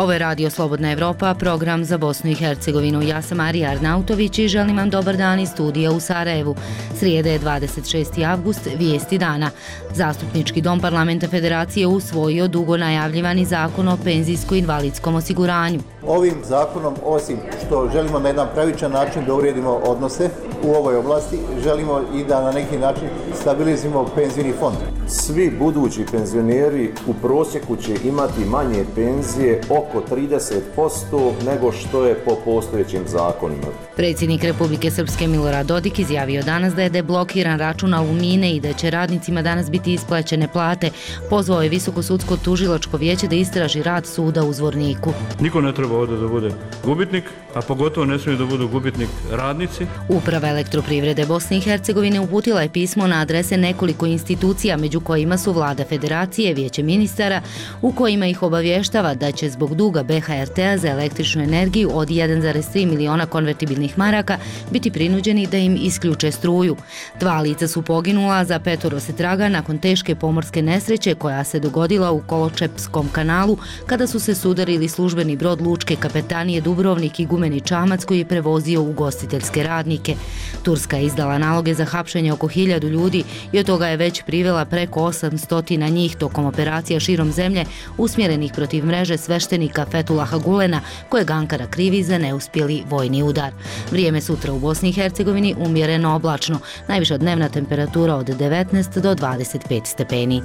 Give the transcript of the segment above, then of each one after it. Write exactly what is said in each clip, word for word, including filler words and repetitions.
Ovo je Radio Slobodna Evropa, program za Bosnu i Hercegovinu. Ja sam Marija Arnautović i želim vam dobar dan iz studija u Sarajevu. Srijede je dvadeset šesti avgust, vijesti dana. Zastupnički dom Parlamenta Federacije usvojio dugo najavljivani zakon o penzijsko-invalidskom osiguranju. Ovim zakonom, osim što želimo na jedan pravičan način da uredimo odnose u ovoj oblasti, želimo i da na neki način stabilizujemo penzijni fond. Svi budući penzioneri u prosjeku će imati manje penzije oko trideset posto nego što je po postojećim zakonima. Predsjednik Republike Srpske Milorad Dodik izjavio danas da je deblokiran račun Alumine i da će radnicima danas biti isplaćene plate. Pozvao je Visoko sudsko tužilačko vijeće da istraži rad suda u Zvorniku. Niko ne treba ovdje da bude gubitnik, a pogotovo ne smiju da budu gubitnik radnici. Uprava elektroprivrede Bosne i Hercegovine uputila je pismo na adrese nekoliko institucija, među kojima su Vlada Federacije, Vijeće ministara, u kojima ih obavještava da će zbog duga B H R T-a za električnu energiju od jedan zarez tri miliona konvertibilnih maraka biti prinuđeni da im isključe struju. Dva lica su poginula, za petoro se traga nakon teške pomorske nesreće koja se dogodila u Koločepskom kanalu kada su se sudarili službeni brod Lučke kapetanije Dubrovnik i gumeni čamac koji je prevozio ugostiteljske radnike. Turska je izdala naloge za hapšenje oko hiljadu ljudi i od toga je već privela preko osamsto njih tokom operacija širom zemlje usmjerenih protiv mreže sveštenika Fethulaha Gulena, kojeg Ankara krivi za neuspjeli vojni udar. Vrijeme sutra u Bosni i Hercegovini umjereno oblačno, najviša dnevna temperatura od devetnaest do dvadeset pet stepeni.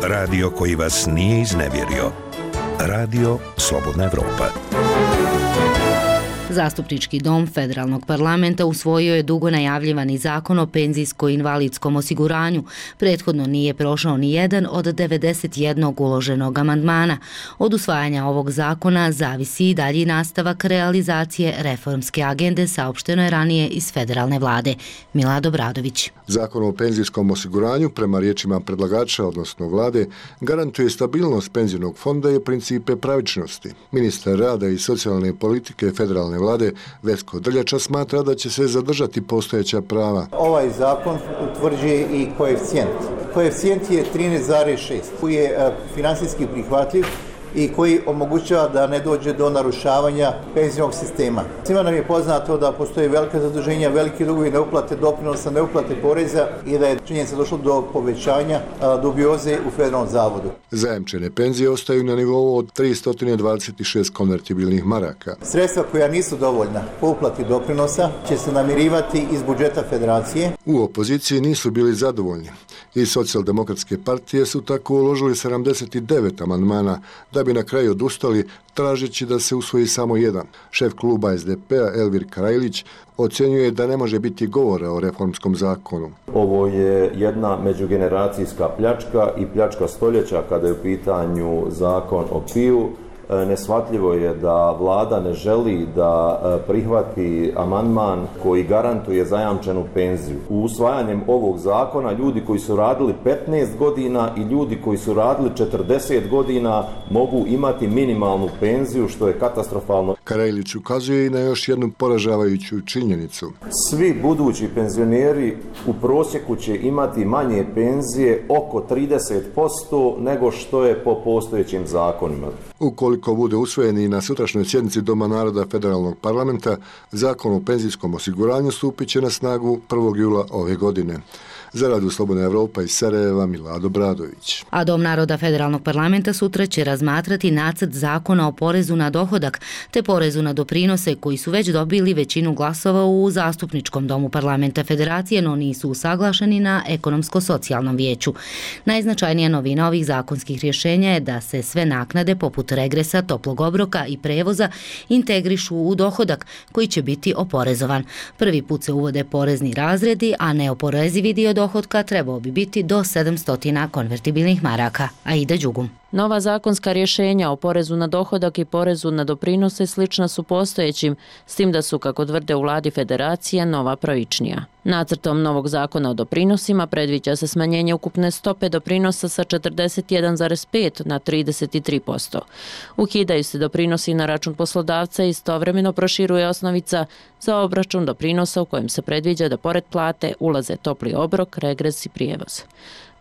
Radio koji vas nije iznevjerio. Radio Slobodna Evropa. Zastupnički dom Federalnog parlamenta usvojio je dugo najavljivani zakon o penzijsko-invalidskom osiguranju. Prethodno nije prošao ni jedan od devedeset jednog uloženog amandmana. Od usvajanja ovog zakona zavisi i dalji nastavak realizacije reformske agende, saopšteno je ranije iz federalne vlade. Milad Obradović. Zakon o penzijskom osiguranju, prema riječima predlagača, odnosno vlade, garantuje stabilnost penzijnog fonda i principe pravičnosti. Ministar rada i socijalne politike federalne vlade Vesko Drljača smatra da će se zadržati postojeća prava. Ovaj zakon utvrđuje i koeficijent. Koeficijent je trinaest zarez šest, koji je finansijski prihvatljiv i koji omogućava da ne dođe do narušavanja penzijnog sistema. Svima nam je poznato da postoje velika zaduženja, veliki dugovi, neuplate doprinosa, neuplate poreza i da je činjenica došlo do povećanja dubioze u federalnom zavodu. Zajamčene penzije ostaju na nivou od tristo dvadeset šest konvertibilnih maraka. Sredstva koja nisu dovoljna po uplati doprinosa će se namirivati iz budžeta federacije. U opoziciji nisu bili zadovoljni. I Socijaldemokratske partije su tako uložili sedamdeset devet amandmana da bi na kraju odustali, tražeći da se usvoji samo jedan. Šef kluba S D P-a Elvir Karajlić ocjenjuje da ne može biti govora o reformskom zakonu. Ovo je jedna međugeneracijska pljačka i pljačka stoljeća kada je u pitanju zakon o P I U. Neshvatljivo je da vlada ne želi da prihvati amandman koji garantuje zajamčenu penziju. U usvajanjem ovog zakona ljudi koji su radili petnaest godina i ljudi koji su radili četrdeset godina mogu imati minimalnu penziju, što je katastrofalno. Karajlić ukazuje i na još jednu poražavajuću činjenicu. Svi budući penzioneri u prosjeku će imati manje penzije oko trideset posto nego što je po postojećim zakonima. Ukoliko bude usvojen i na sutrašnjoj sjednici Doma naroda Federalnog parlamenta, zakon o penzijskom osiguranju stupit će na snagu prvog jula ove godine. Za Radio Slobodna Evropa iz Sarajeva, Milad Obradović. A Dom naroda Federalnog parlamenta sutra će razmatrati nacrt zakona o porezu na dohodak te porezu na doprinose koji su već dobili većinu glasova u Zastupničkom domu Parlamenta Federacije, no nisu usaglašeni na ekonomsko-socijalnom vijeću. Najznačajnija novina ovih zakonskih rješenja je da se sve naknade poput regresa, toplog obroka i prevoza integrišu u dohodak koji će biti oporezovan. Prvi put se uvode porezni razredi, a neoporezivi dio dohotka trebao bi biti do sedamsto konvertibilnih maraka. Aida Đugum. Nova zakonska rješenja o porezu na dohodak i porezu na doprinose slična su postojećim, s tim da su, kako tvrde u vladi Federacije, nova pravičnija. Nacrtom novog zakona o doprinosima predviđa se smanjenje ukupne stope doprinosa sa četrdeset jedan zarez pet na trideset tri posto. Ukidaju se doprinosi na račun poslodavca i istovremeno proširuje osnovica za obračun doprinosa u kojem se predviđa da pored plate ulaze topli obrok, regres i prijevoz.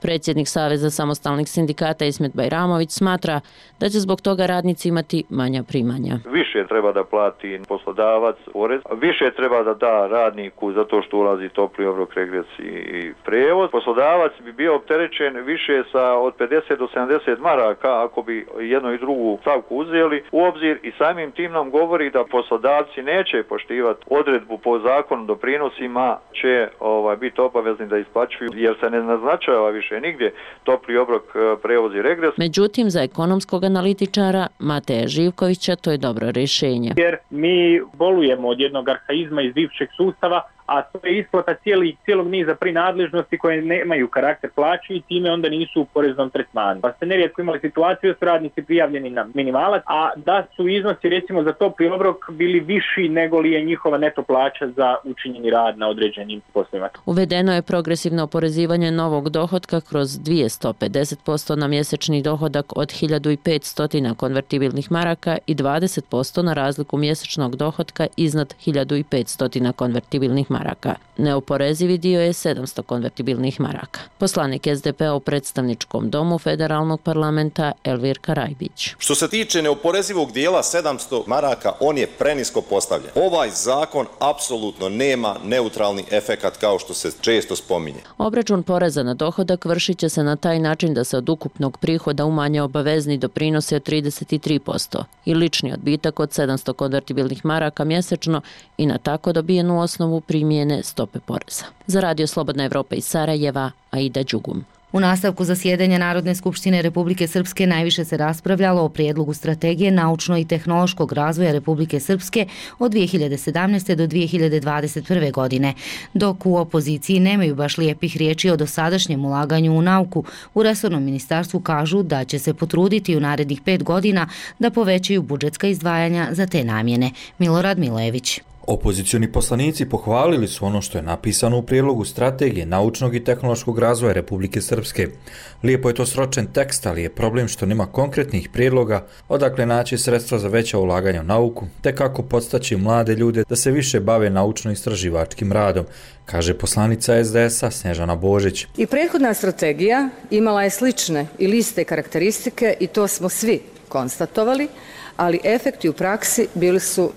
Predsjednik Saveza samostalnih sindikata Ismet Bajramović smatra da će zbog toga radnici imati manja primanja. Više treba da plati poslodavac porez, više treba da da radniku zato što ulazi topli obrok, regres i prevoz. Poslodavac bi bio opterećen više sa od pedeset do sedamdeset maraka ako bi jednu i drugu stavku uzeli u obzir i samim tim nam govori da poslodavci neće poštivati odredbu po zakonu doprinosima, će ovaj, biti obavezni da isplaćuju jer se ne naznačava više nigdje topli obrok, prevoz i regres. Međutim, za ekonomskog analitičara Mateja Živkovića to je dobro rješenje. Jer mi bolujemo od jednog arhaizma iz bivšeg sustava, a to je isplata cijeli, cijelog niza prinadležnosti koje nemaju karakter plaće i time onda nisu u poreznom tretmanu. Pa ste nerijetko imali situaciju da su radnici prijavljeni na minimalac, a da su iznosi recimo za topli obrok bili viši nego li je njihova neto plaća za učinjeni rad na određenim poslovima. Uvedeno je progresivno oporezivanje novog dohotka kroz dvije stope, deset posto na mjesečni dohodak od hiljadu petsto konvertibilnih maraka i dvadeset posto na razliku mjesečnog dohotka iznad hiljadu petsto konvertibilnih maraka. Neoporezivi dio je sedamsto konvertibilnih maraka. Poslanik S D P-a u predstavničkom domu federalnog parlamenta Elvir Karajbić. Što se tiče neoporezivog dijela sedamsto maraka, on je prenisko postavljen. Ovaj zakon apsolutno nema neutralni efekat kao što se često spominje. Obračun poreza na dohodak vršit će se na taj način da se od ukupnog prihoda umanje obavezni doprinose od trideset tri posto i lični odbitak od sedamsto konvertibilnih maraka mjesečno i na tako dobijenu osnovu primjene stope poreza. Za Radio Slobodna Evropa iz Sarajeva, Aida Đugum. U nastavku zasjedanja Narodne skupštine Republike Srpske najviše se raspravljalo o prijedlogu strategije naučno i tehnološkog razvoja Republike Srpske od dvije hiljade sedamnaeste. do dvije hiljade dvadeset prve. godine. Dok u opoziciji nemaju baš lijepih riječi o dosadašnjem ulaganju u nauku, u resornom ministarstvu kažu da će se potruditi u narednih pet godina da povećaju budžetska izdvajanja za te namjene. Milorad Milojević. Opozicioni poslanici pohvalili su ono što je napisano u prijedlogu strategije naučnog i tehnološkog razvoja Republike Srpske. Lijepo je to sročen tekst, ali je problem što nema konkretnih prijedloga odakle naći sredstva za veća ulaganja u nauku, te kako podstaći mlade ljude da se više bave naučno-istraživačkim radom, kaže poslanica S D S-a Snježana Božić. I prethodna strategija imala je slične ili iste karakteristike i to smo svi konstatovali, ali efekti u praksi bili su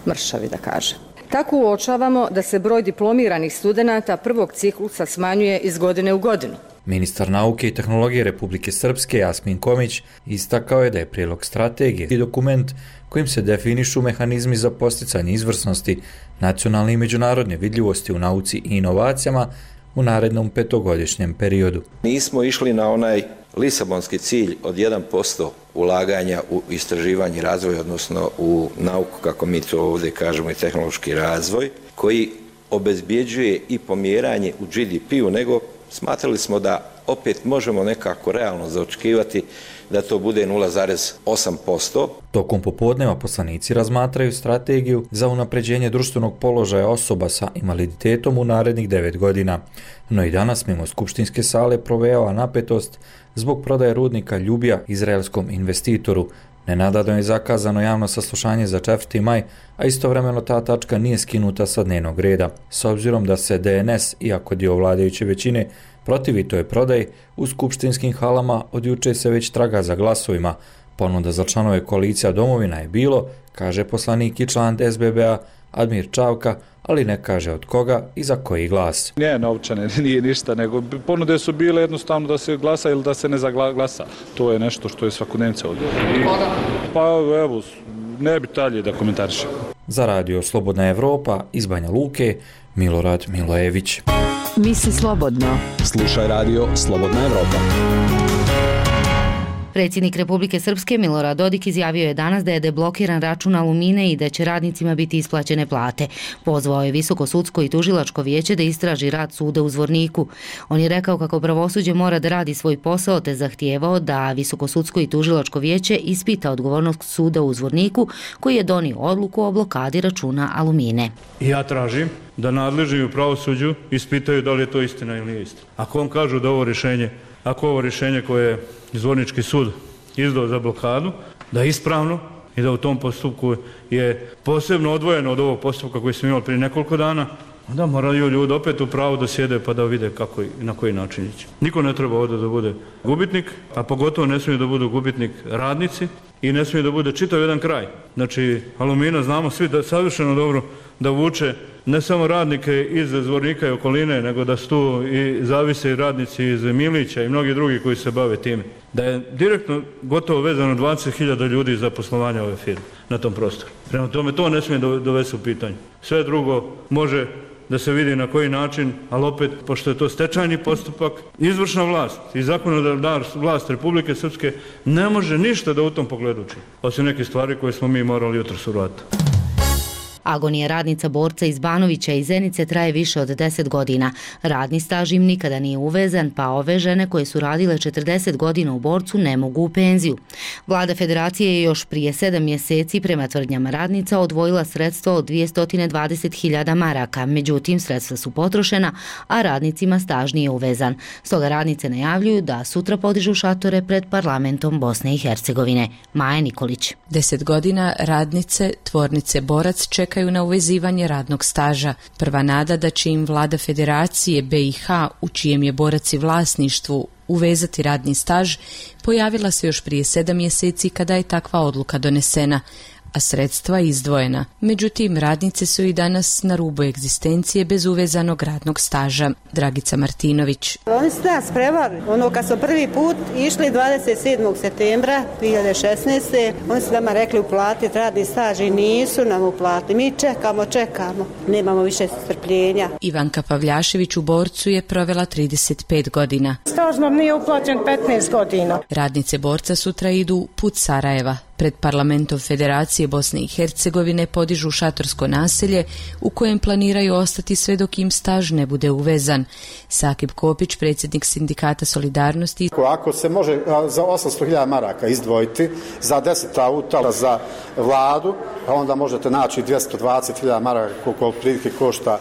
mršavi, da kažem. Tako uočavamo da se broj diplomiranih studenata prvog ciklusa smanjuje iz godine u godinu. Ministar nauke i tehnologije Republike Srpske Jasmin Komić istakao je da je prijedlog strategije i dokument kojim se definišu mehanizmi za posticanje izvrsnosti, nacionalne i međunarodne vidljivosti u nauci i inovacijama u narednom petogodišnjem periodu. Nismo išli na onaj lisabonski cilj od jedan posto ulaganja u istraživanje i razvoj, odnosno u nauku, kako mi to ovdje kažemo, i tehnološki razvoj, koji obezbjeđuje i pomjeranje u G D P-u, nego smatrali smo da opet možemo nekako realno zaočekivati da to bude nula zarez osam posto. Tokom popodneva poslanici razmatraju strategiju za unapređenje društvenog položaja osoba sa invaliditetom u narednih devet godina. No i danas mimo skupštinske sale provejava napetost zbog prodaje rudnika Ljubija izraelskom investitoru. Nenadano je zakazano javno saslušanje za četvrti maj, a istovremeno ta tačka nije skinuta sa dnevnog reda. S obzirom da se D N S, iako dio vladajuće većine, protivi toj prodaji, u skupštinskim halama od juče se već traga za glasovima. Ponuda za članove koalicija Domovina je bilo, kaže poslanik i član S B B-a Admir Čavka, ali ne kaže od koga i za koji glas. Nije novčane, nije ništa, nego ponude su bile jednostavno da se glasa ili da se ne zaglasa. To je nešto što je svakodnevnica ovdje. Pa evo, ne bi dalje da komentarišem. Za Radio Slobodna Evropa iz Banja Luke, Milorad Milojević. Misli slobodno. Slušaj Radio Slobodna Evropa. Predsjednik Republike Srpske Milorad Dodik izjavio je danas da je deblokiran račun Alumine i da će radnicima biti isplaćene plate. Pozvao je Visoko sudsko i tužilačko vijeće da istraži rad suda u Zvorniku. On je rekao kako pravosuđe mora da radi svoj posao te zahtijevao da Visoko sudsko i tužilačko vijeće ispita odgovornost suda u Zvorniku koji je donio odluku o blokadi računa Alumine. Ja tražim da nadležni u pravosuđu ispitaju da li je to istina ili nije istina. Ako vam kažu da ovo rješenje, ako ovo rješenje koje je Zvornički sud izdao za blokadu, da je ispravno i da u tom postupku je posebno odvojeno od ovog postupka koji smo imali prije nekoliko dana, onda moraju ljudi opet u pravu da sjede pa da vide kako i na koji način ići. Niko ne treba ovdje da bude gubitnik, a pogotovo ne smije da budu gubitnik radnici i ne smije da bude čitav jedan kraj. Znači, Alumina znamo svi da je savršeno dobro da vuče ne samo radnike iz Zvornika i okoline, nego da su tu i zavise i radnici iz Milića i mnogi drugi koji se bave time. Da je direktno gotovo vezano dvadeset hiljada ljudi za poslovanje ove firme na tom prostoru. Prema tome, to ne smije dovesti u pitanje. Sve drugo može da se vidi na koji način, ali opet, pošto je to stečajni postupak, izvršna vlast i zakonodavna vlast Republike Srpske ne može ništa da u tom pogledu učini, osim neke stvari koje smo mi morali jutros uraditi. Agonija radnica borca iz Banovića i Zenice traje više od deset godina. Radni staž im nikada nije uvezan, pa ove žene koje su radile četrdeset godina u borcu ne mogu u penziju. Vlada Federacije je još prije sedam mjeseci prema tvrdnjama radnica odvojila sredstva od dvjesto dvadeset hiljada maraka, međutim sredstva su potrošena, a radnicima staž nije uvezan. Stoga radnice najavljuju da sutra podižu šatore pred parlamentom Bosne i Hercegovine. Maja Nikolić. Deset godina radnice tvornice Borac čekaju na uvezivanje radnog staža. Prva nada da će im vlada Federacije B i H, u čijem je Borac i vlasništvu, uvezati radni staž, pojavila se još prije sedam mjeseci kada je takva odluka donesena, a sredstva izdvojena. Međutim, radnice su i danas na rubu egzistencije bez uvezanog radnog staža. Dragica Martinović. Oni su nas prevarili. Ono kad su prvi put išli dvadeset sedmog septembra dvije hiljade šesnaeste. oni su nama rekli uplatiti radni staž i nisu nam uplatili. Mi čekamo, čekamo. Nemamo više strpljenja. Ivanka Pavljašević u Borcu je provela trideset pet godina. Staž nam nije uplaćen petnaest godina. Radnice Borca sutra idu put Sarajeva. Pred parlamentom Federacije Bosne i Hercegovine podižu šatorsko naselje u kojem planiraju ostati sve dok im staž ne bude uvezan. Sakib Kopić, predsjednik sindikata Solidarnosti. Ako se može za osamsto hiljada maraka izdvojiti za deset auta za vladu, onda možete naći dvjesto dvadeset hiljada maraka koliko prilike košta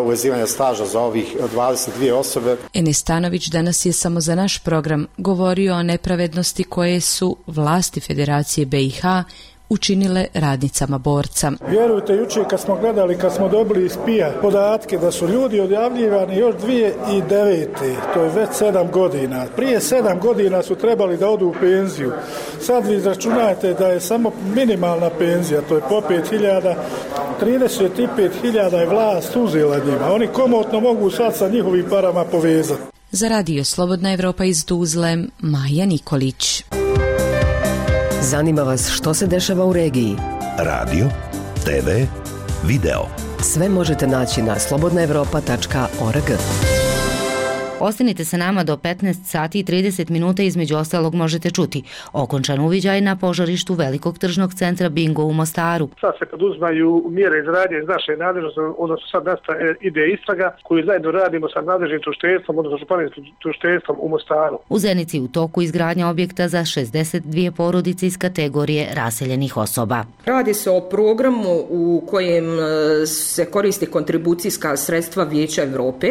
uvezivanje staža za ovih dvadeset dvije osobe. Enes Stanović danas je samo za naš program govorio o nepravednosti koje su vlasti Federacije B i H učinile radnicama Borca. Vjerujte, jučer kad smo gledali, kad smo dobili iz P I A podatke da su ljudi odjavljivani još dvije hiljade devete. To je već sedam godina. Prije sedam godina su trebali da odu u penziju. Sad vi izračunajte da je samo minimalna penzija, to je po pet hiljada, trideset pet hiljada je vlast uzela njima. Oni komotno mogu sad sa njihovim parama povezati. Za radio Slobodna Evropa iz Tuzle, Maja Nikolić. Zanima vas što se dešava u regiji? Radio, te ve, video. Sve možete naći na slobodna evropa tačka org. Ostanite sa nama do petnaest sati i trideset minuta, između ostalog možete čuti okončan uviđaj na požarištu velikog tržnog centra Bingo u Mostaru. Sad se kad uzmaju mjere izradnje iz naše nadležnosti, odnosno sad nastaje ide istraga koju zajedno radimo sa nadležnim tužiteljstvom, odnosno županijskim tužiteljstvom u Mostaru. U Zenici u toku izgradnja objekta za šezdeset dvije porodice iz kategorije raseljenih osoba. Radi se o programu u kojem se koristi kontribucijska sredstva Vijeća Europe.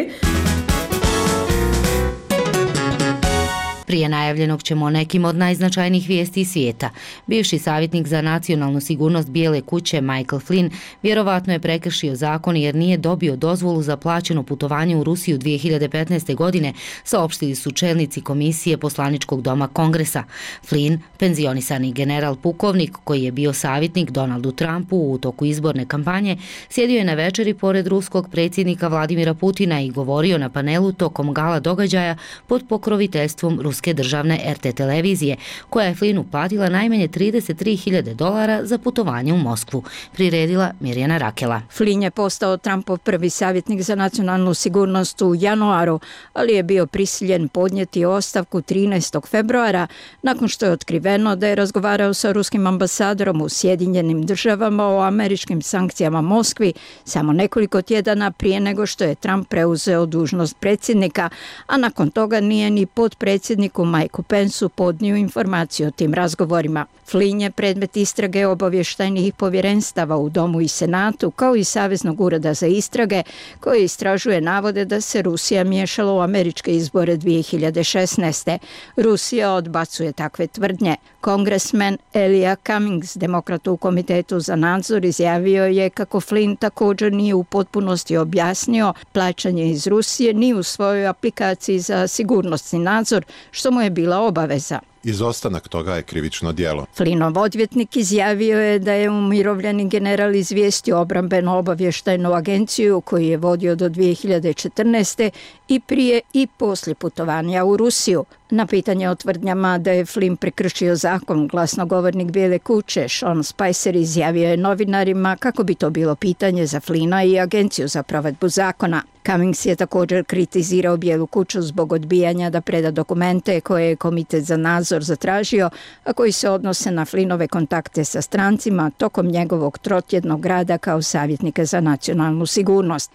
Prije najavljenog ćemo o nekim od najznačajnijih vijesti svijeta. Bivši savjetnik za nacionalnu sigurnost Bijele kuće Michael Flynn vjerovatno je prekršio zakon jer nije dobio dozvolu za plaćeno putovanje u Rusiju dvije hiljade petnaeste. godine, saopštili su čelnici komisije poslaničkog doma Kongresa. Flynn, penzionisani general pukovnik koji je bio savjetnik Donaldu Trumpu u toku izborne kampanje, sjedio je na večeri pored ruskog predsjednika Vladimira Putina i govorio na panelu tokom gala događaja pod pokroviteljstvom ruske državne er te televizije, koja je Flynnu platila najmanje trideset tri hiljade dolara za putovanje u Moskvu, priredila Mirjana Rakela. Flynn je postao Trumpov prvi savjetnik za nacionalnu sigurnost u januaru, ali je bio prisiljen podnijeti ostavku trinaestog februara nakon što je otkriveno da je razgovarao sa ruskim ambasadorom u Sjedinjenim državama o američkim sankcijama Moskvi samo nekoliko tjedana prije nego što je Trump preuzeo dužnost predsjednika, a nakon toga nije ni potpredsjednik predsjedniku Majku Pensu podnio informaciju o tim razgovorima. Flynn je predmet istrage obavještajnih povjerenstava u Domu i Senatu, kao i Saveznog ureda za istrage, koji istražuje navode da se Rusija miješala u američke izbore dvije hiljade šesnaeste. Rusija odbacuje takve tvrdnje. Kongresmen Elijah Cummings, demokrat u Komitetu za nadzor, izjavio je kako Flynn također nije u potpunosti objasnio plaćanje iz Rusije ni u svojoj aplikaciji za sigurnosni nadzor, što mu je bila obaveza. Izostanak toga je krivično djelo. Flynnov odvjetnik izjavio je da je umirovljeni general izvijestio obrambeno obavještajnu agenciju koju je vodio do dvije hiljade četrnaeste i prije i poslije putovanja u Rusiju. Na pitanje o tvrdnjama da je Flynn prekršio zakon, glasnogovornik Bijele kuće Sean Spicer izjavio je novinarima kako bi to bilo pitanje za Flynna i agenciju za provedbu zakona. Cummings je također kritizirao Bijelu kuću zbog odbijanja da preda dokumente koje je Komitet za nadzor zatražio, a koji se odnose na Flynnove kontakte sa strancima tokom njegovog trotjednog rada kao savjetnika za nacionalnu sigurnost.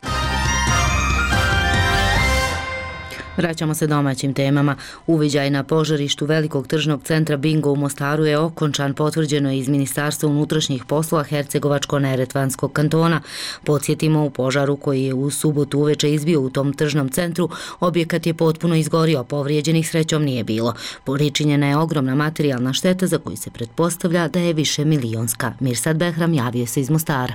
Vraćamo se domaćim temama. Uviđaj na požarištu velikog tržnog centra Bingo u Mostaru je okončan, potvrđeno je iz Ministarstva unutrašnjih poslova Hercegovačko-neretvanskog kantona. Podsjetimo, u požaru koji je u subotu uveče izbio u tom tržnom centru, objekat je potpuno izgorio, povrijeđenih srećom nije bilo. Pričinjena je ogromna materijalna šteta za koju se pretpostavlja da je više milionska. Mirsad Behram javio se iz Mostara.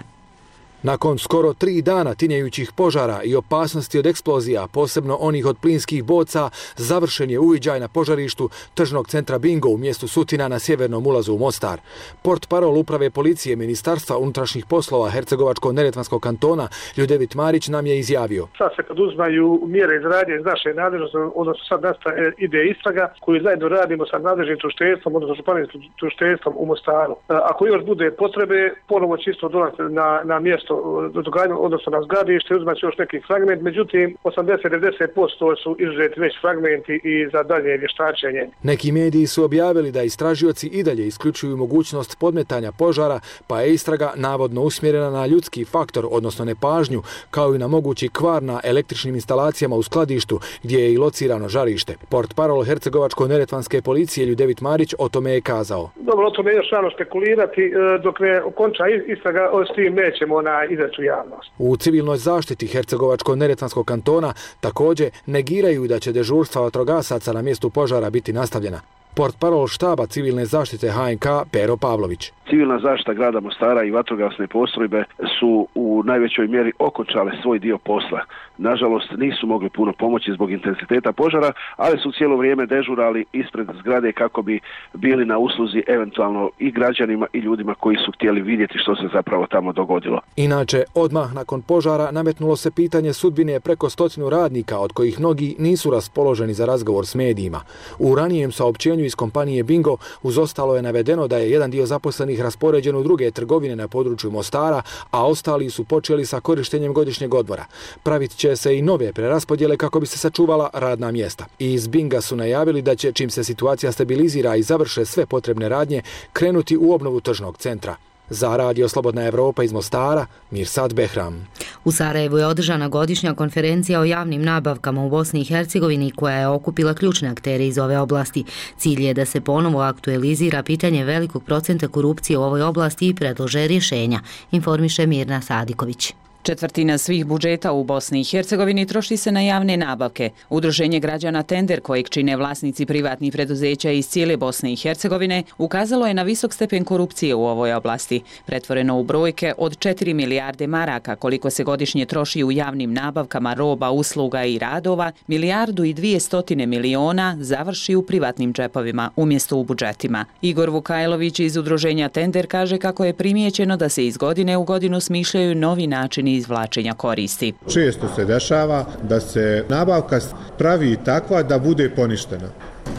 Nakon skoro tri dana tinjajućih požara i opasnosti od eksplozija, posebno onih od plinskih boca, završen je uviđaj na požarištu tržnog centra Bingo u mjestu Sutina na sjevernom ulazu u Mostar. Portparol uprave policije Ministarstva unutrašnjih poslova Hercegovačko-neretvanskog kantona Ljudevit Marić nam je izjavio. Sad se kad uzmaju mjere izradnje iz naše nadležnosti, odnosno sad nastaje ide istraga koju zajedno radimo sa nadležnim tužiteljstvom, odnosno županijskim tužiteljstvom u Mostaru. Ako još bude potrebe, ponovo čisto dolaziti na, na mjesto događanja, odnosno na zgradište, uzmat će još neki fragment, međutim osamdeset do devedeset posto su izuzeti već fragmenti i za dalje vještačenje. Neki mediji su objavili da istražioci i dalje isključuju mogućnost podmetanja požara, pa je istraga navodno usmjerena na ljudski faktor, odnosno nepažnju, kao i na mogući kvar na električnim instalacijama u skladištu, gdje je i locirano žarište. Portparol Hercegovačko-neretvanske policije Ljudevit Marić o tome je kazao. Dobro, o tome još rano špekulirati, dok ne okonča istraga, s tim nećemo na izaći u javnost. U civilnoj zaštiti Hercegovačko-neretvanskog kantona također negiraju da će dežurstva vatrogasaca na mjestu požara biti nastavljena. Portparol štaba civilne zaštite H N K Pero Pavlović. Civilna zaštita grada Mostara i vatrogasne postrojbe su u najvećoj mjeri okončale svoj dio posla. Nažalost, nisu mogli puno pomoći zbog intenziteta požara, ali su cijelo vrijeme dežurali ispred zgrade kako bi bili na usluzi eventualno i građanima i ljudima koji su htjeli vidjeti što se zapravo tamo dogodilo. Inače, odmah nakon požara nametnulo se pitanje sudbine preko stotinu radnika, od kojih mnogi nisu raspoloženi za razgovor s medijima. U ranijem saopćenju iz kompanije Bingo uz ostalo je navedeno da je jedan dio zaposlenih raspoređen u druge trgovine na području Mostara, a ostali su počeli sa korištenjem godišnjeg odmora. Pravit će se i nove preraspodjele kako bi se sačuvala radna mjesta. Iz Binga su najavili da će, čim se situacija stabilizira i završe sve potrebne radnje, krenuti u obnovu tržnog centra. Za Radio Slobodna Evropa iz Mostara, Mirsad Behram. U Sarajevu je održana godišnja konferencija o javnim nabavkama u Bosni i Hercegovini koja je okupila ključne aktere iz ove oblasti. Cilj je da se ponovo aktualizira pitanje velikog procenta korupcije u ovoj oblasti i predlože rješenja, informiše Mirna Sadiković. Četvrtina svih budžeta u Bosni i Hercegovini troši se na javne nabavke. Udruženje građana Tender, kojeg čine vlasnici privatnih preduzeća iz cijele Bosne i Hercegovine, ukazalo je na visok stepen korupcije u ovoj oblasti. Pretvoreno u brojke od četiri milijarde maraka, koliko se godišnje troši u javnim nabavkama roba, usluga i radova, milijardu i dvije stotine miliona završi u privatnim džepovima umjesto u budžetima. Igor Vukajlović iz Udruženja Tender kaže kako je primijećeno da se iz godine u godinu smišljaju novi načini izvlačenja koristi. Često se dešava da se nabavka pravi takva da bude poništena,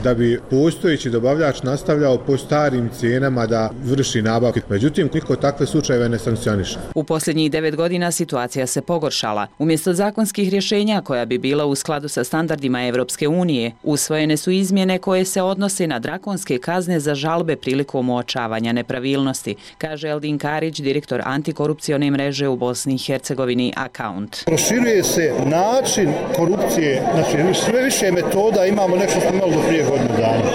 da bi postojeći dobavljač nastavljao po starim cijenama da vrši nabavke. Međutim, niko takve slučajeve ne sankcioniše. U posljednjih devet godina situacija se pogoršala. Umjesto zakonskih rješenja koja bi bila u skladu sa standardima Evropske unije, usvojene su izmjene koje se odnose na drakonske kazne za žalbe prilikom uočavanja nepravilnosti, kaže Eldin Karić, direktor antikorupcione mreže u Bosni i Hercegovini Account. Proširuje se način korupcije, znači sve više metoda, imamo nešto što malo do prije prije godinu dana.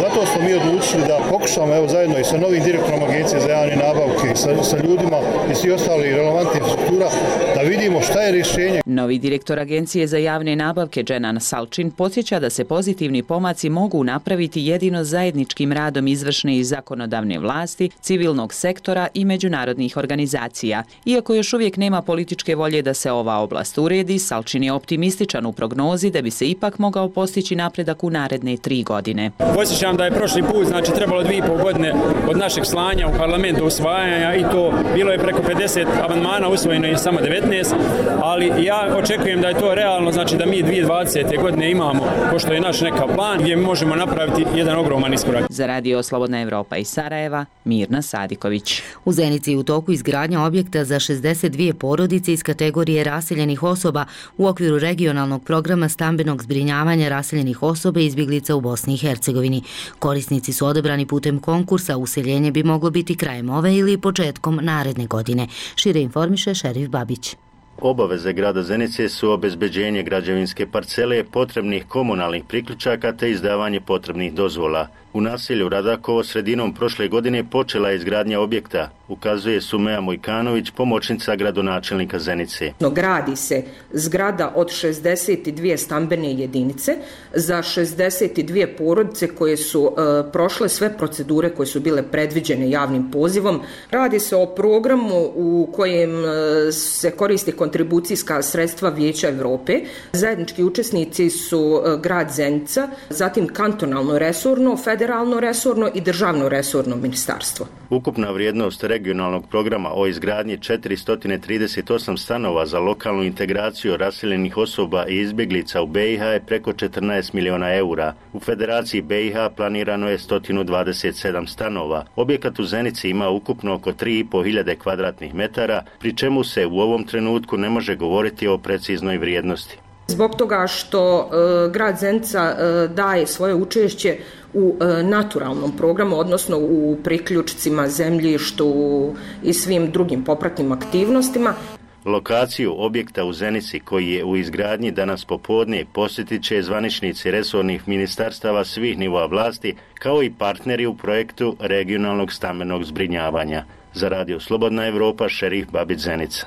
Zato smo mi odlučili da pokušamo evo, zajedno i sa novim direktorom Agencije za javne nabavke i sa, sa ljudima i svi ostali relevantnih struktura da vidimo šta je rješenje. Novi direktor Agencije za javne nabavke Dženan Salčin podsjeća da se pozitivni pomaci mogu napraviti jedino zajedničkim radom izvršne i zakonodavne vlasti, civilnog sektora i međunarodnih organizacija. Iako još uvijek nema političke volje da se ova oblast uredi, Salčin je optimističan u prognozi da bi se ipak mogao postići napredak u naredne tri godine. Posjećam da je prošli put znači, trebalo dvije i pol godine od našeg slanja u parlamentu usvajanja i to bilo je preko pedeset amandmana, usvojeno je samo devetnaest, ali ja očekujem da je to realno, znači da mi dvije tisuće dvadesete godine imamo, pošto je naš neka plan, gdje možemo napraviti jedan ogroman iskorak. Za Radio Slobodna Evropa iz Sarajeva, Mirna Sadiković. U Zenici je u toku izgradnja objekta za šezdeset dvije porodice iz kategorije raseljenih osoba u okviru regionalnog programa stambenog zbrinjavanja raseljenih osoba i izbjeglica u Bosni i Hercegovini. Korisnici su odabrani putem konkursa, useljenje bi moglo biti krajem ove ili početkom naredne godine. Šire informiše Šerif Babić. Obaveze grada Zenice su obezbeđenje građevinske parcele, potrebnih komunalnih priključaka te izdavanje potrebnih dozvola. U naselju Radakovo sredinom prošle godine počela je izgradnja objekta, ukazuje Sumeja Mojkanović, pomoćnica gradonačelnika Zenice. Gradi se zgrada od šezdeset dvije stambene jedinice za šezdeset dvije porodice koje su e, prošle sve procedure koje su bile predviđene javnim pozivom. Radi se o programu u kojem e, se koristi kontribucijska sredstva Vijeća Evrope. Zajednički učesnici su e, grad Zenica, zatim kantonalno resorno, federalno resorno i državno resorno ministarstvo. Ukupna vrijednost regionalnog programa o izgradnji četiristo trideset osam stanova za lokalnu integraciju raseljenih osoba i izbjeglica u B i H je preko četrnaest miliona eura. U Federaciji B i H planirano je sto dvadeset sedam stanova. Objekat u Zenici ima ukupno oko tri i pol hiljade kvadratnih metara, pri čemu se u ovom trenutku ne može govoriti o preciznoj vrijednosti. Zbog toga što e, grad Zenica e, daje svoje učešće u e, naturalnom programu, odnosno u priključcima, zemljištu i svim drugim popratnim aktivnostima. Lokaciju objekta u Zenici koji je u izgradnji danas popodne posjetit će zvaničnici resornih ministarstava svih nivoa vlasti kao i partneri u projektu regionalnog stambenog zbrinjavanja. Za Radio Slobodna Evropa, Šerif Babić, Zenica.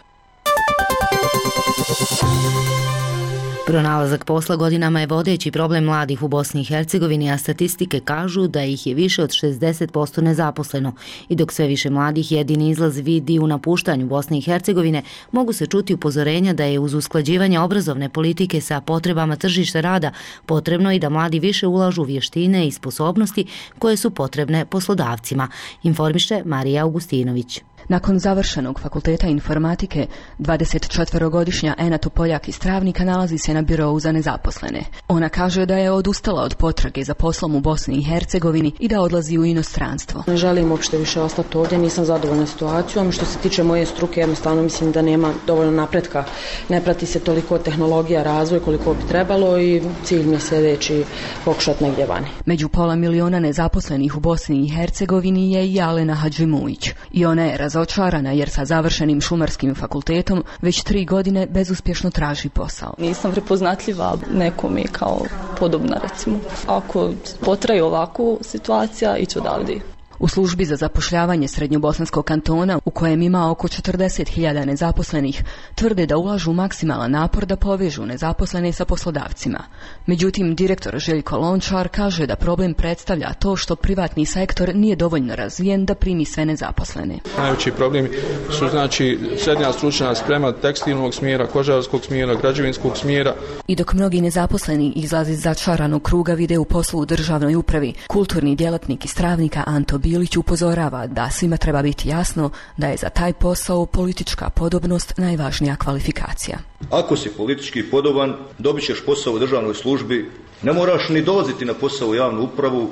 Pronalazak posla godinama je vodeći problem mladih u Bosni i Hercegovini, a statistike kažu da ih je više od šezdeset posto nezaposleno. I dok sve više mladih jedini izlaz vidi u napuštanju Bosne i Hercegovine, mogu se čuti upozorenja da je uz usklađivanje obrazovne politike sa potrebama tržišta rada potrebno i da mladi više ulažu vještine i sposobnosti koje su potrebne poslodavcima, informiše Marija Augustinović. Nakon završenog fakulteta informatike, dvadesetčetvorogodišnja Ena Topoljak iz Travnika nalazi se na birou za nezaposlene. Ona kaže da je odustala od potrage za poslom u Bosni i Hercegovini i da odlazi u inostranstvo. Ne želim uopšte više ostati ovdje, nisam zadovoljna situacijom. Što se tiče moje struke, jednostavno mislim da nema dovoljno napretka. Ne prati se toliko tehnologija, razvoj koliko bi trebalo i cilj mi je sljedeći pokušati negdje vani. Među pola miliona nezaposlenih u Bosni i Hercegovini je i Alena Hadžimujić. I ona je razočarana jer sa završenim šumarskim fakultetom već tri godine bezuspješno traži posao. Nisam prepoznatljiva nekome kao podobna, recimo. Ako potraje ovakvu situacija, iću odavde. U službi za zapošljavanje Srednjobosanskog kantona, u kojem ima oko četrdeset hiljada nezaposlenih, tvrde da ulažu maksimalan napor da povežu nezaposlene sa poslodavcima. Međutim, direktor Željko Lončar kaže da problem predstavlja to što privatni sektor nije dovoljno razvijen da primi sve nezaposlene. Najveći problem su znači srednja stručna sprema tekstilnog smjera, kožarskog smjera, građevinskog smjera. I dok mnogi nezaposleni izlazi iz začaranog kruga vide u poslu u državnoj upravi, kulturni djelatnik iz Travnika Anto Bilić upozorava da svima treba biti jasno da je za taj posao politička podobnost najvažnija kvalifikacija. Ako si politički podoban, dobit ćeš posao u državnoj službi, ne moraš ni dolaziti na posao u javnu upravu,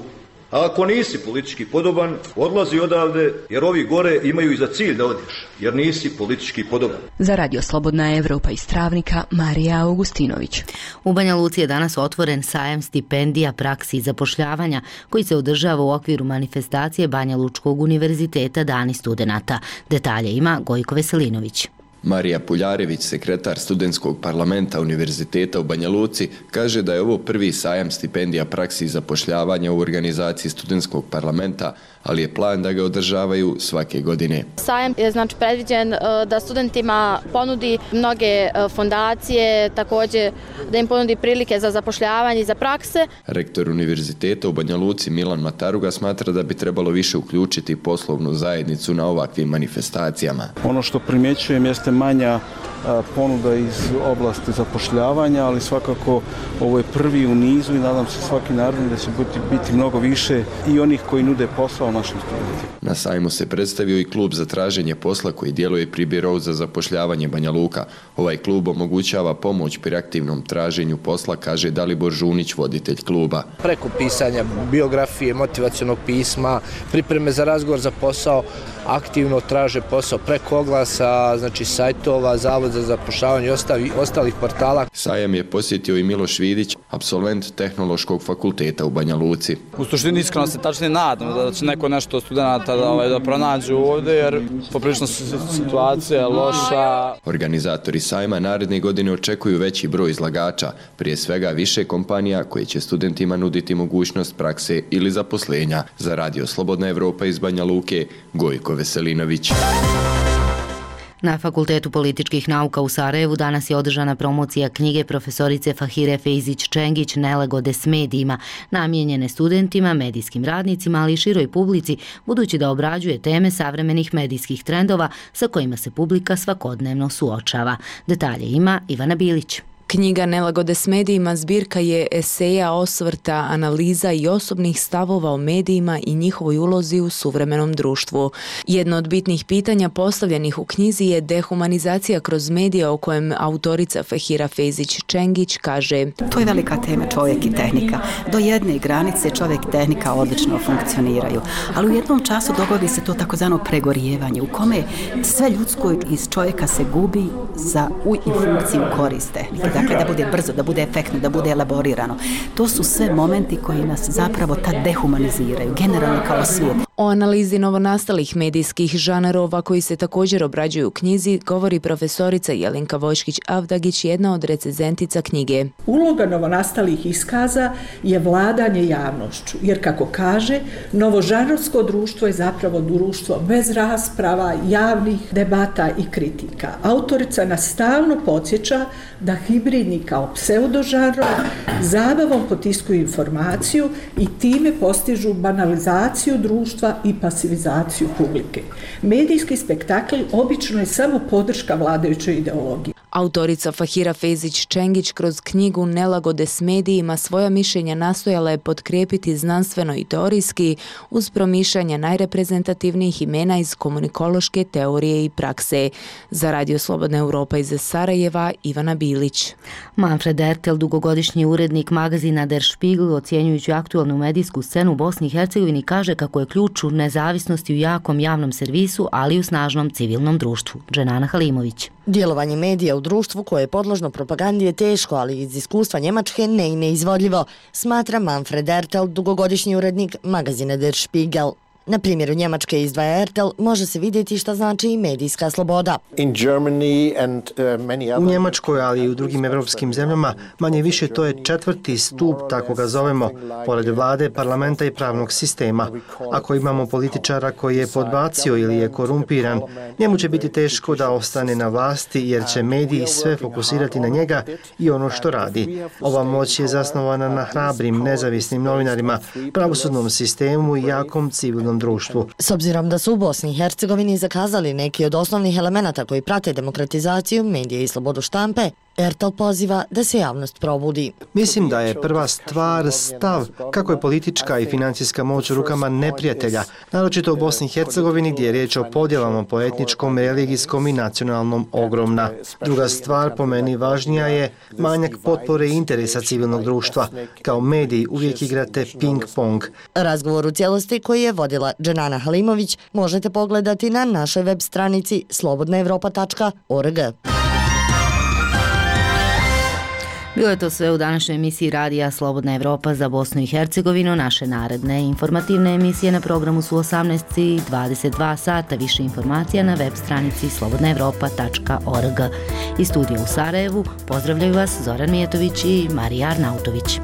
a ako nisi politički podoban, odlazi odavde jer ovi gore imaju i za cilj da odeš, jer nisi politički podoban. Za Radio Slobodna Evropa iz Travnika, Marija Augustinović. U Banja Luci je danas otvoren sajam stipendija, praksi i zapošljavanja koji se održava u okviru manifestacije Banja Lučkog univerziteta Dani studenata. Detalje ima Gojko Veselinović. Marija Puljarević, sekretar studentskog parlamenta Univerziteta u Banja Luci, kaže da je ovo prvi sajam stipendija praksi i zapošljavanja u organizaciji studentskog parlamenta, ali je plan da ga održavaju svake godine. Sajam je znači predviđen da studentima ponudi mnoge fondacije, također da im ponudi prilike za zapošljavanje i za prakse. Rektor Univerziteta u Banja Luci Milan Mataruga smatra da bi trebalo više uključiti poslovnu zajednicu na ovakvim manifestacijama. Ono što primjećujem jeste manja ponuda iz oblasti zapošljavanja, ali svakako ovo je prvi u nizu i nadam se svaki naredni da će biti, biti mnogo više i onih koji nude posao našim studentima. Na sajmu se predstavio i klub za traženje posla koji djeluje pri Birou za zapošljavanje Banja Luka. Ovaj klub omogućava pomoć pri aktivnom traženju posla, kaže Dalibor Žunić, voditelj kluba. Preko pisanja biografije, motivacionog pisma, pripreme za razgovor za posao, aktivno traže posao preko oglasa, znači sajtova, Zavod za zapošljavanje i ostali, ostalih portala. Sajam je posjetio i Miloš Vidić, apsolvent Tehnološkog fakulteta u Banja Luci. U suštini iskreno se tačno nadam da će neko nešto studenta da, ovaj, da pronađu ovdje, jer poprilično situacija je loša. Organizatori sajma naredne godine očekuju veći broj izlagača, prije svega više kompanija koje će studentima nuditi mogućnost prakse ili zaposlenja. Za Radio Slobodna Evropa iz Banja Luke, Gojko Veselinović. Na Fakultetu političkih nauka u Sarajevu danas je održana promocija knjige profesorice Fahire Fejzić-Čengić Nelagode s medijima, namijenjene studentima, medijskim radnicima, ali i široj publici, budući da obrađuje teme savremenih medijskih trendova sa kojima se publika svakodnevno suočava. Detalje ima Ivana Bilić. Knjiga Nelagode s medijima zbirka je eseja, osvrta, analiza i osobnih stavova o medijima i njihovoj ulozi u suvremenom društvu. Jedno od bitnih pitanja postavljenih u knjizi je dehumanizacija kroz medije, o kojem autorica Fahira Fejzić-Čengić kaže: To je velika tema, čovjek i tehnika. Do jedne granice čovjek i tehnika odlično funkcioniraju, ali u jednom času dogodi se to takozvano pregorijevanje u kome sve ljudsko iz čovjeka se gubi za u i funkciju korist tehnike. Dakle, da bude brzo, da bude efektno, da bude elaborirano. To su sve momenti koji nas zapravo tad dehumaniziraju, generalno kao svijet. O analizi novonastalih medijskih žanrova koji se također obrađuju u knjizi govori profesorica Jelinka Vojškić-Avdagić, jedna od recenzentica knjige. Uloga novonastalih iskaza je vladanje javnošću, jer kako kaže, novožanrovsko društvo je zapravo društvo bez rasprava, javnih debata i kritika. Autorica nas stalno podsjeća da hibridni kao pseudožanrov zabavom potiskuju informaciju i time postižu banalizaciju društva i pasivizaciju publike. Medijski spektakl obično je samo podrška vladajućoj ideologiji. Autorica Fahira Fejzić-Čengić kroz knjigu Nelagode s medijima svoja mišljenja nastojala je potkrijepiti znanstveno i teorijski uz promišljanje najreprezentativnijih imena iz komunikološke teorije i prakse. Za Radio Slobodna Evropa iz Sarajeva, Ivana Bilić. Manfred Ertel, dugogodišnji urednik magazina Der Spiegel, ocjenjujući aktualnu medijsku scenu u Bosni i Hercegovini, kaže kako je ključ u nezavisnosti u jakom javnom servisu, ali i u snažnom civilnom društvu. Dženana Halimović. Djelovanje medija u društvu koje je podložno propagandi je teško, ali iz iskustva Njemačke ne i neizvodljivo, smatra Manfred Ertel, dugogodišnji urednik magazina Der Spiegel. Na primjeru Njemačke izdvaja Ertel može se vidjeti šta znači i medijska sloboda. U Njemačkoj, ali i u drugim evropskim zemljama, manje više to je četvrti stup, tako ga zovemo, pored vlade, parlamenta i pravnog sistema. Ako imamo političara koji je podbacio ili je korumpiran, njemu će biti teško da ostane na vlasti jer će mediji sve fokusirati na njega i ono što radi. Ova moć je zasnovana na hrabrim, nezavisnim novinarima, pravosudnom sistemu i jakom civilnom društvu. S obzirom da su u Bosni i Hercegovini zakazali neki od osnovnih elemenata koji prate demokratizaciju, medije i slobodu štampe, Ertel poziva da se javnost probudi. Mislim da je prva stvar stav kako je politička i financijska moć u rukama neprijatelja, naročito u Bosni i Hercegovini gdje je riječ o podjelama po etničkom, religijskom i nacionalnom ogromna. Druga stvar, po meni važnija, je manjak potpore i interesa civilnog društva. Kao mediji uvijek igrate ping-pong. Razgovor u cijelosti koji je vodila Dženana Halimović možete pogledati na našoj web stranici slobodna evropa tačka org. Bilo je to sve u današnjoj emisiji radija Slobodna Evropa za Bosnu i Hercegovinu. Naše naredne informativne emisije na programu su osamnaest i dvadeset dva sata. Više informacija na web stranici slobodna evropa tačka org. Iz studija u Sarajevu pozdravljaju vas Zoran Mijetović i Marija Arnautović.